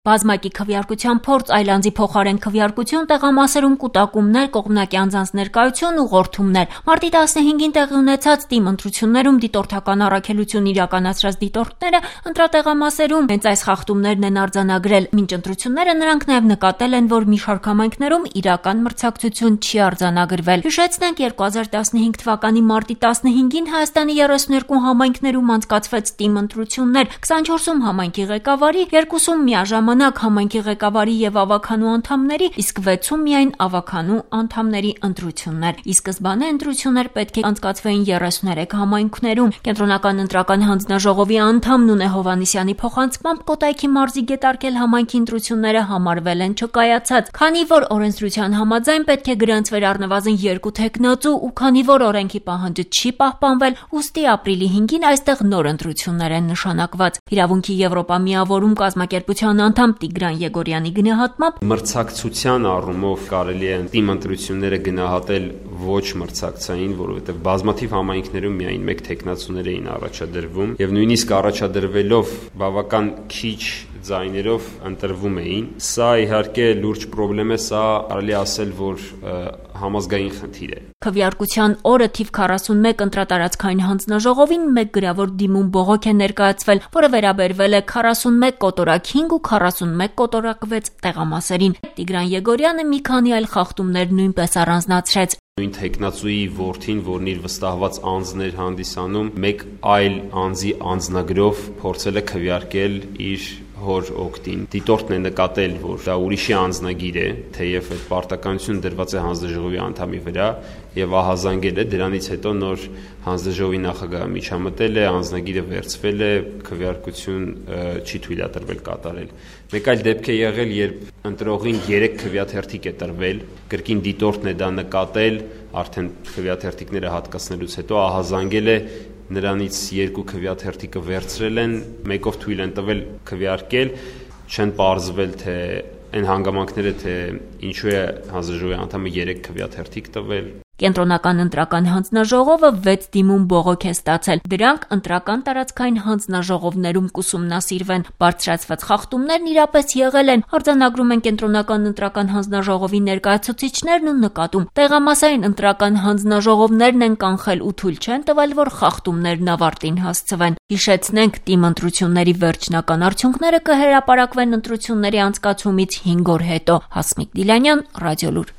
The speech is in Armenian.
Բազմակի քվեարկության փորձ, այլ անձի փոխարեն քվեարկություն, տեղամասերում կուտակումներ, կողմնակի անձանց ներկայություն, ուղղորդումներ։ Մարտի 15-ին տեղի ունեցած ՏԻՄ ընտրություններում դիտորդական առաքելություն իրականացրած դիտորդները ընտրատեղամասերում հենց այս խախտումներն են արձանագրել։ Մինչ ընտրությունները նրանք նաև նկատել են, որ մի շարք համայնքներում իրական մրցակցություն չի արձանագրվել։ Հիշեցնենք, 2015 թվականի մարտի 15-ին Հայաստանի 32 համայնքներում անցկացվեց ՏԻՄ ընտրություններ, 24-ում համայնքի ղեկավարի, 2-ում միաժամանակ համայնքի ղեկավարի եւ ավականու անդամների, իսկ 6-ում միայն ավականու անդամների ընտրություններ։ Ի սկզբանե ընտրություններ պետք է անցկացվեին 33 համայնքներում։ Կենտրոնական ընտրական հանձնաժողովի անդամ Նունե Հովհաննիսյանի փոխանցմամբ Կոտայքի մարզի Գետառքել համայնքի ընտրությունները համարվել են չկայացած, քանի որ օրենսդրության համաձայն պետք է գրանցվեր առնվազն 2 թեկնածու ու քանի որ օրենքի պահանջը չի պահպանվել, ուստի ապրիլի 5-ին այստեղ նոր ընտրություններ են նշանակված։ Իրավունքի Եվրոպա միավորում կազմակերպության անդամ Տիգրան Եգորյանի գնահատմամբ մրցակցության առումով կարելի է ՏԻՄ ընտրությունները գնահատել ոչ մրցակցային, որովհետև բազմաթիվ համայնքներում միայն 1 թեկնածուներ էին առաջադրվում եւ նույնիսկ առաջադրվելով բավական քիչ ձայներով ընտրվում էին։ Սա իհարկե լուրջ խնդրեմ է, սա կարելի ասել, որ համազգային խնդիր է։ Քվեարկության օրը թիվ 41 ընտրատարածքային հանձնաժողովին 1 գրավոր դիմում բողոք է ներկայացվել, որը վերաբերվել է 41 կոտորակ 5 ու 41 կոտորակ 6 տեղամասերին։ Տիգրան Եգորյանը մի քանի այլ խախտումներ նույնպես առանձնացրեց։ Նույն թեկնածուի որդին, որն իր վստահված անձն էր հանդիսանում, մեկ այլ անձի անձնագրով փորձել է քվեարկել իր հոր օգտին։ Դիտորդն է նկատել, որ դա ուրիշի անձնագիր է, թեև այդ պարտականությունը դրված է հանձնաժողովի անդամի վրա եւ ահազանգել է, դրանից հետո նոր հանձնաժողովի նախագահը միջամտել է, անձնագիրը վերցվել է, քվեարկություն չի թույլատրվել կատարել։ Մեկ այլ դեպք է եղել, երբ ընտրողին 3 քվեաթերթիկ է տրվել, կրկին դիտորդն է դա նկատել, արդեն քվեաթերթիկները հատկացնելուց հետո ահազանգել է, նրանից 2 քվեաթերթիկը վերցրել են, մեկով թույլ են տվել քվեարկել, չեն պարզվել թե այն հանգամանքները, թե ինչու է հանձնաժողովի անդամը 3 քվեաթերթիկ տվել։ Կենտրոնական ընտրական հանձնաժողովը 6 դիմում բողոք է ստացել։ Դրանք ընտրական տարածքային հանձնաժողովներում կուսումնասիրվեն։ Բարձրացված խախտումներն իրապես եղել են, արձանագրում են Կենտրոնական ընտրական հանձնաժողովի ներկայացուցիչներն ու նկատում։ Տեղամասային ընտրական հանձնաժողովներն են կանխել ու թույլ չեն տվել, որ խախտումներն ավարտին հասցվեն։ Հիշեցնենք, ՏԻՄ ընտրությունների վերջնական արդյունքները կհրապարակվեն ընտրությունների անցկացումից 5 օր հետո։ Հասմիկ Դիլանյան, Ռադիոլուր։